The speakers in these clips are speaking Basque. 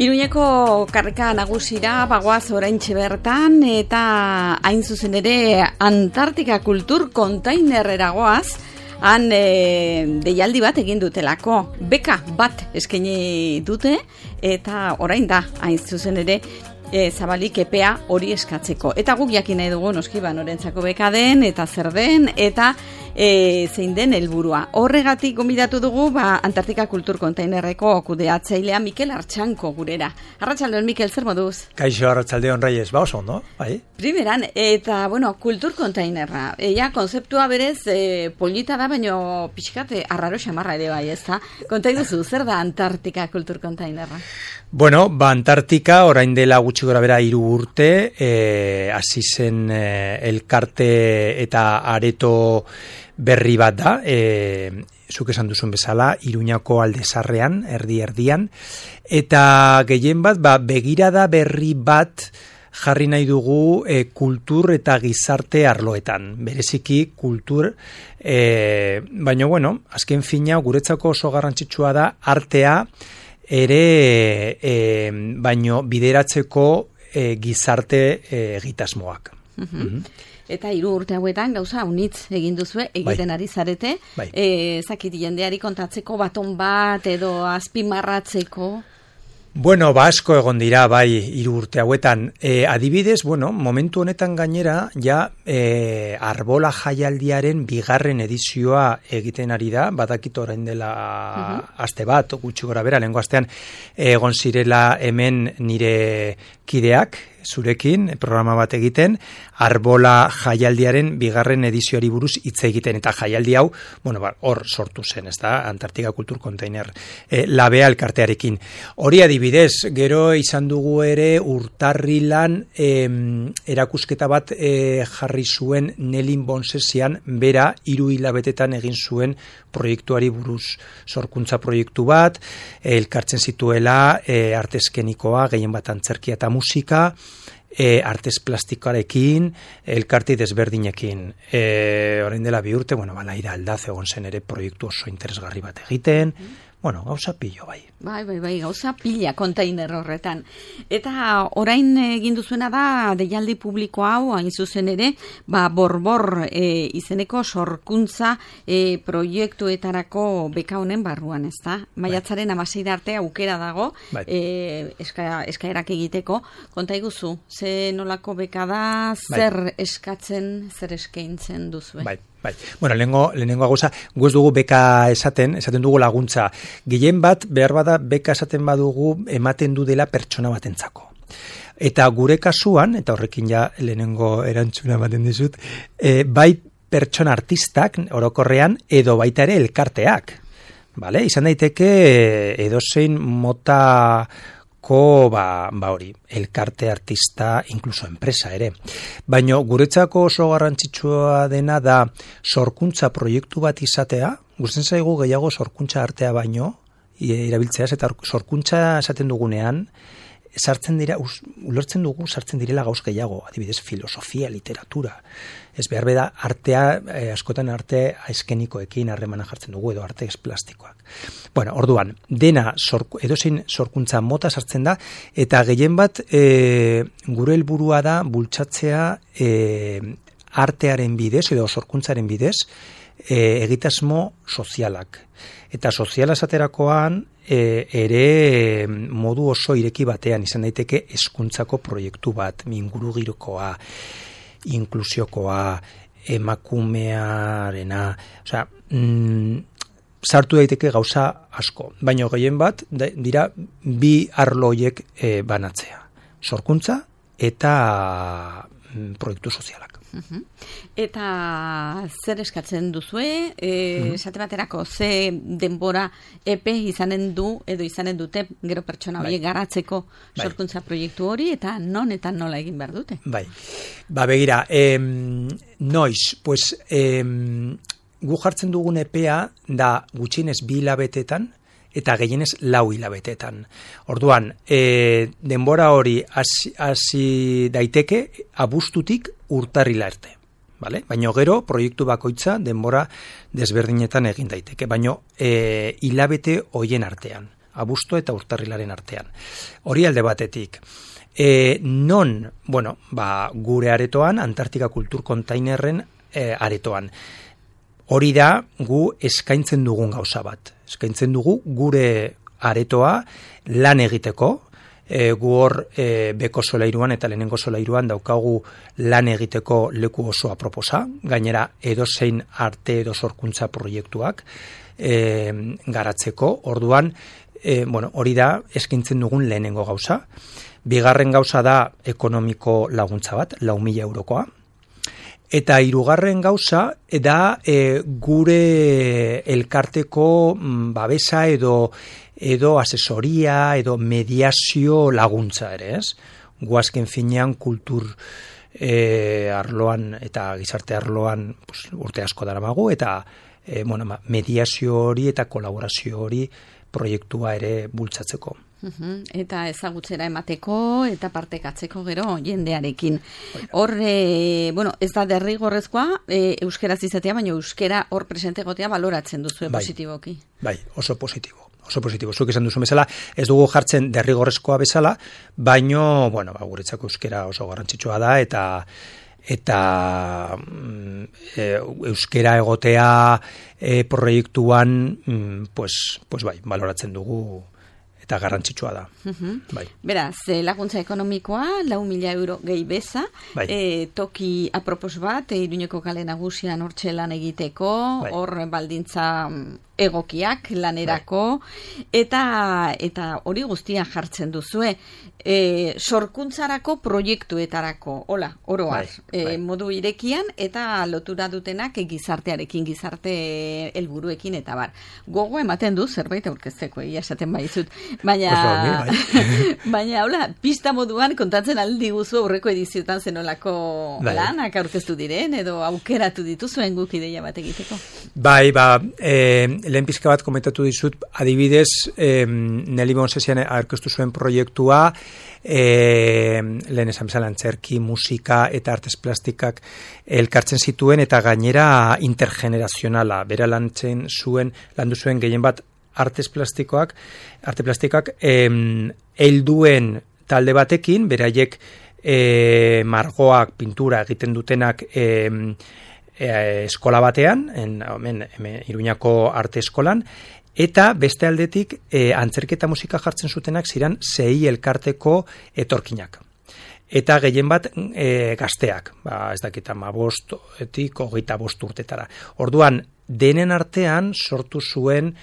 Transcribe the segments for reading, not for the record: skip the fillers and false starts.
Iruñeko karrika nagusira bagoaz oraintxe bertan eta hain zuzen ere Antartika Kultur Kontainerrera goaz, han deialdi bat egin dutelako, beka bat eskaini dute eta orain da hain zuzen ere zabalik epea hori eskatzeko. Eta guk jakin nahi dugu noski norentzako beka den eta zer den eta zein den helburua. Horregatik gonbidatu dugu Antartika Kultur Kontainerreko kudeatzailea Mikel Artxanko gurera. Arratsaldeon Mikel, zer moduz? Kaixo, arratsaldeon Reyes, oso ondo, bai? Primeran, eta Kultur Kontainerra. Konzeptua berez polita da, baino pixkat arraro xamarra ere bai, ezta? Konta iguzu, zer da Antartika Kultur Kontainerra? Bueno, Antartika orain dela gutxi gora bera 3 urte, hasi zen elkarte eta areto berri bat da, zuk esan duzun bezala, Iruñako aldezarrean, erdi-erdian, eta gehien bat, begirada berri bat jarri nahi dugu kultur eta gizarte arloetan, bereziki kultur, baina, azken fina, guretzako oso garrantzitsua da, artea ere, baino bideratzeko gizarte egitasmoak. Eta 3 urte hauetan gauza unitz egin duzue, egiten ari zarete, zakit jendeari kontatzeko baton bat edo azpimarratzeko? Bueno, asko egon dira, 3 urte hauetan. Adibidez, momentu honetan gainera, Arbola jaialdiaren 2. edizioa egiten ari da, badakit orain dela aste bat, gutxi gora bera, lehengo astean, egon zirela hemen nire kideak, zurekin, programa bat egiten, Arbola jaialdiaren 2. edizioari buruz hitz egiten, eta jaialdi hau, hor sortu zen, ez da, Antartika Kultur Kontainer labea elkartearekin. Hori adibidez, gero izan dugu ere urtarrilan erakusketa bat jarri zuen Nelin Bonsesian, bera 3 hilabetetan egin zuen proiektuari buruz, sorkuntza proiektu bat, elkartzen zituela arteskenikoa, gehien bat antzerkia eta musika, artez plastikoarekin, elkarti desberdinekin. Orain dela 2 urte, Laira Aldaz egon zen ere proiektu oso interesgarri bat egiten, gauza pillo, bai. Bai, gauza pila kontainer horretan. Eta orain egin duzuena da deialdi publiko hau, hain zuzen ere, borbor izeneko sorkuntza proiektuetarako beka honen barruan, ez da? Maiatzaren 16 arte aukera dago, eskaerak egiteko. Konta iguzu, ze nolako beka da, zer eskatzen, zer eskaintzen duzue? Bai. Lehenengo gauza, gu ez dugu beka esaten dugu laguntza. Gehien bat, behar bada, beka esaten badugu ematen du dela pertsona batentzako. Eta gure kasuan, eta horrekin lehenengo erantzuna ematen dizut, bai pertsona artistak orokorrean edo baita ere elkarteak. Izan daiteke edozein mota hori, elkarte, artista, inkluso enpresa ere. Baina guretzako oso garrantzitsua dena da sorkuntza proiektu bat izatea, gustatzen zaigu gehiago sorkuntza artea baino, irabiltzeaz, eta sorkuntza esaten dugunean, ulertzen dugu sartzen direla gauz gehiago, adibidez filosofia, literatura. Ez behar beda artea, askotan arte eskenikoekin harremana jartzen dugu, edo arte plastikoak. Orduan, dena edozein sorkuntza mota sartzen da, eta gehien bat gure helburua da bultzatzea artearen bidez, edo sorkuntzaren bidez, egitasmo sozialak. Eta soziala esaterakoan ere modu oso ireki batean izan daiteke hezkuntzako proiektu bat, ingurugirokoa, inklusiokoa, emakumearena, sartu daiteke gauza asko. Baina gehien bat dira 2 arlo horiek banatzea. Sorkuntza eta proiektu sozialak. Eta zer eskatzen duzue, esate baterako ze denbora epe izanen du edo izanen dute gero pertsona horiek garatzeko sorkuntza proiektu hori, eta non eta nola egin behar dute? Begira, noiz, gu jartzen dugun epea da gutxienez 2 hilabetetan eta gehienez 4 hilabetetan. Orduan, denbora hori hasi daiteke abuztutik urtarrila arte. Baina gero, proiektu bakoitza denbora desberdinetan egin daiteke. Baina hilabete hoien artean. abuztu eta urtarrilaren artean. Hori alde batetik. Gure aretoan, Antartika Kultur Kontainerren aretoan. Hori da gu eskaintzen dugun gauza bat. Eskaintzen dugu gure aretoa lan egiteko, gu hor beko solairuan eta lehenengo solairuan daukagu lan egiteko leku oso aproposa, gainera edozein arte edo sorkuntza proiektuak garatzeko, orduan, hori da eskaintzen dugun lehenengo gauza. Bigarren gauza da ekonomiko laguntza bat, 4.000 eurokoa. Eta hirugarren gauza da gure elkarteko babesa edo asesoria edo mediazio laguntza ere, ez? Gu azken finean kultur arloan eta gizarte arloan urte asko daramagu eta mediazio hori eta kolaborazio hori proiektua ere bultzatzeko. Eta ezagutzera emateko eta partekatzeko gero jendearekin. Hor, ez da derrigorrezkoa euskeraz izatea, baina euskera hor presente egotea baloratzen duzu positiboki. Bai, oso positibo. Zuk esan duzu bezala, ez dugu jartzen derrigorrezkoa bezala, baino, guretzako euskera oso garrantzitsua da eta euskera egotea proiektuan, baloratzen dugu eta garrantzitsua da. Beraz, laguntza ekonomikoa, 4.000 euro gehi beza, toki apropos bat, Iruñeko kale nagusian hortxe lan egiteko, hor baldintza egokiak lanerako, eta hori guztia jartzen duzue. Sorkuntzarako proiektuetarako, oroar, modu irekian, eta lotura dutenak gizartearekin, gizarte helburuekin eta bar. Gogo ematen du zerbait aurkezteko, esaten baizut. Baina, pista moduan kontatzen aldi guzu aurreko ediziotan zenolako lanak aurkeztu diren, edo aukeratu dituzuen guk ideia bat egiteko. Lehen pizka bat komentatu dizut, adibidez, Neli Bonsesian aurkeztu zuen proiektua, lehen esan bezala antzerki, musika eta artes plastikak elkartzen zituen eta gainera intergenerazionala, bera landu zuen gehien bat arte plastikak helduen talde batekin, beraiek margoak, pintura egiten dutenak eskola batean, hemen Iruñako arte eskolan, eta beste aldetik antzerketa musika jartzen zutenak ziren 6 elkarteko etorkinak. Eta gehien bat gazteak, ez dakit 15-etik 25 urtetara. Orduan, denen artean sortu zuen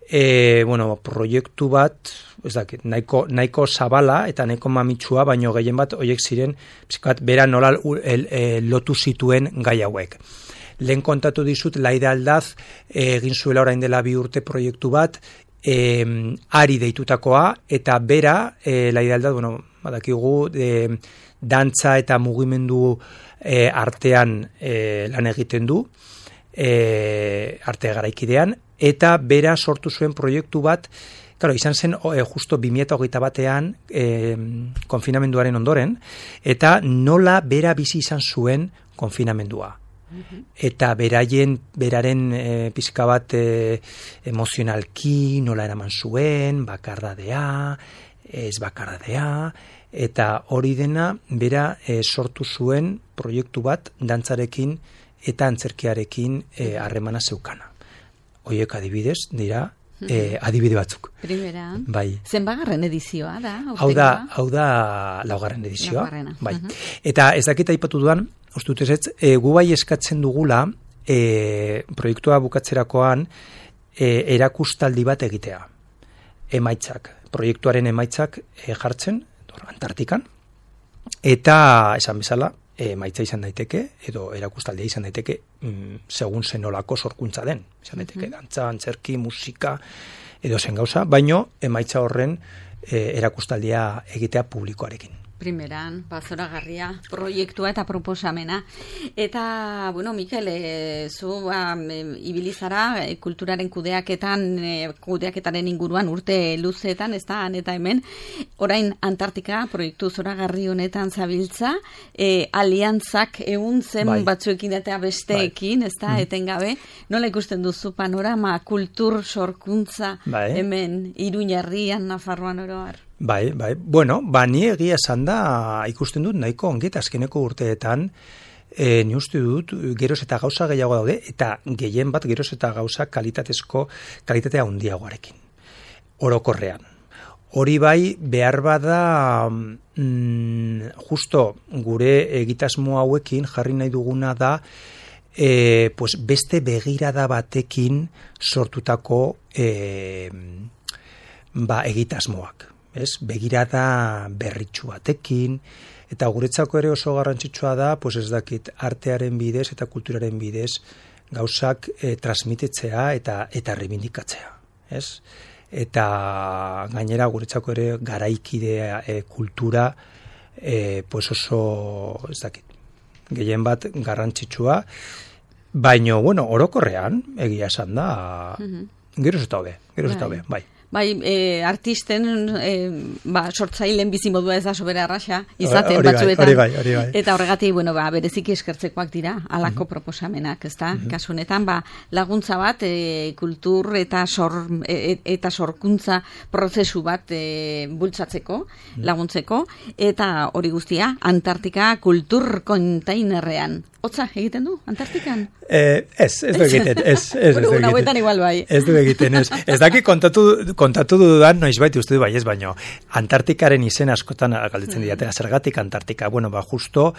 proiektu bat, ez dakit, nahiko zabala eta nahiko mamitsua, baino gehien bat horiek ziren, bera nola lotu zituen gai hauek. Lehen kontatu dizut, Laida Aldaz egin zuela orain dela 2 urte proiektu bat, ari deitutakoa, eta bera, Laida Aldaz, badakigu, dantza eta mugimendu artean lan egiten du, arte garaikidean, eta bera sortu zuen proiektu bat, izan zen justo 2021an konfinamenduaren ondoren, eta nola bera bizi izan zuen konfinamendua. Eta beraren pizka bat emozionalki nola eraman zuen, bakardadea, ez bakardadea, eta hori dena bera sortu zuen proiektu bat dantzarekin eta antzerkiarekin harremana zeukana. Hoiek adibidez dira adibide batzuk. Primera. Bai. Zenbagarren edizioa da? Hau da 4. edizioa. Bai. Eta ez dakit aipatu dudan, ustutez gu bai eskatzen dugula proiektua bukatzerakoan erakustaldi bat egitea. Emaitzak, proiektuaren emaitzak jartzen, Antartikan, eta esan bezala, emaitza izan daiteke, edo erakustaldia izan daiteke, segun zenolako sorkuntza den. Izan daiteke, dantza, antzerki, musika, edo zen gauza, baino emaitza horren erakustaldia egitea publikoarekin. Primeran, zoragarria proiektua eta proposamena. Eta, bueno, Mikel, zu ibilizara kulturaren kudeaketaren inguruan urte luzeetan, ez da, eta hemen, orain Antartika proiektu zoragarri honetan zabiltza, aliantzak egun zen batzuekin eta besteekin, ez da, etengabe, nola ikusten duzu panorama kultur sorkuntza hemen Iruñerrian, Nafarroan oroar? Bai, bueno, ni egia esan da ikusten dut nahiko ongi eta azkeneko urteetan ni uste dut geroz eta gauza gehiago daude eta gehien bat geroz eta gauza kalitatea handiagoarekin. Orokorrean. Hori bai behar bada justo gure egitasmo hauekin jarri nahi duguna da pues beste begirada batekin sortutako egitasmoak. Begirada berritxu batekin, eta guretzako ere oso garrantzitsua da, pues ez dakit, artearen bidez eta kulturaren bidez gauzak transmititzea eta reivindikatzea. Eta gainera guretzako ere garaikidea kultura pues oso, ez dakit, gehien bat garrantzitsua, baina, bueno, orokorrean, egia esan da, geroz eta hobe, bai. Bai, artisten, sortzaileen bizimodua ez da sobera arraxa, izaten batzuetan. Hori bai. Eta horregatik, bueno, bereziki eskertzekoak dira, alako proposamenak, ez da? Kasunetan, laguntza bat, kultur eta sorkuntza prozesu bat bultzatzeko, laguntzeko, eta hori guztia, Antartika kultur kontainerrean. Hotza egiten du, Antartikan? Ez du egiten, ez du egiten. Bueno, huetan igual bai. Ez du egiten, ez. Ez daki kontatu dudan, noizbait uste du baino, Antartikaren izen askotan galdetzen didate, zergatik Antartika. Bueno, justo,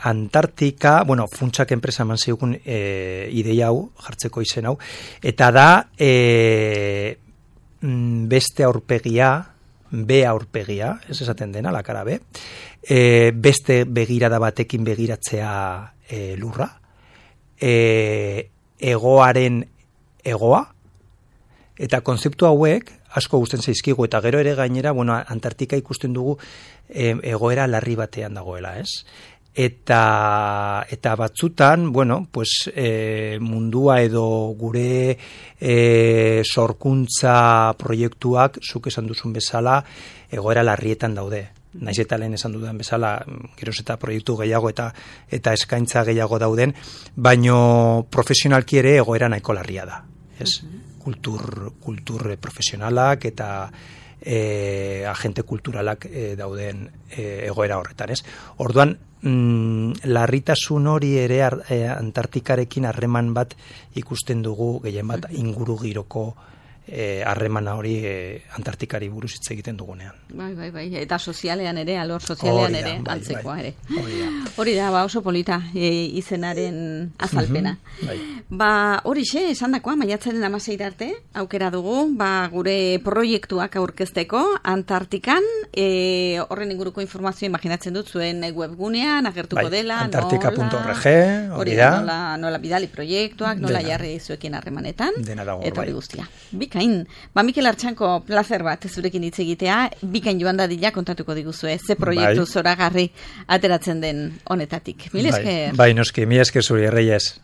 Antartika, bueno, funtsak enpresa eman zigun ideia hau, jartzeko izen hau, eta da, beste aurpegia, B aurpegia, ez esaten dena, la cara B, beste begirada batekin begiratzea lurra, egoaren egoa, eta konzeptu hauek asko gusten zaizkigu, eta gero ere gainera, bueno, Antartika ikusten dugu egoera larri batean dagoela, ez? Eta batzutan, bueno, pues mundua edo gure sorkuntza proiektuak, zuk esan duzun bezala, egoera larrietan daude. Naiz eta lehen esan dudan bezala, geroz eta proiektu gehiago eta eskaintza gehiago dauden, baino profesionalki ere egoera nahiko larria da. Ez? Kultur profesionalak eta agente kulturalak dauden egoera horretan, ez? Orduan, larritasun hori ere Antartikarekin harreman bat ikusten dugu, gehien bat inguru giroko harremana hori Antartikari buruz hitz egiten dugunean. Bai, eta sozialean ere, alor sozialean ere, antzekoa ere. Hori da, oso polita izenaren azalpena. Horixe, esan dakoa, maiatzaren 16 arte, aukera dugu, gure proiektuak aurkezteko, Antartikan, horren inguruko informazio imaginatzen dut zuen webgunean, agertuko dela, antartika.org, hori da, nola bidali proiektuak, nola jarri zuekin harremanetan, eta hori guztia. Bikain, Mikel Artxanko placer bat zurekin hitz egitea, bikain joan dadila kontatuko diguzue, ze proiektu zoragarri ateratzen den honetatik. Mil esker. Bai, noski, mil esker zuri, Reyes.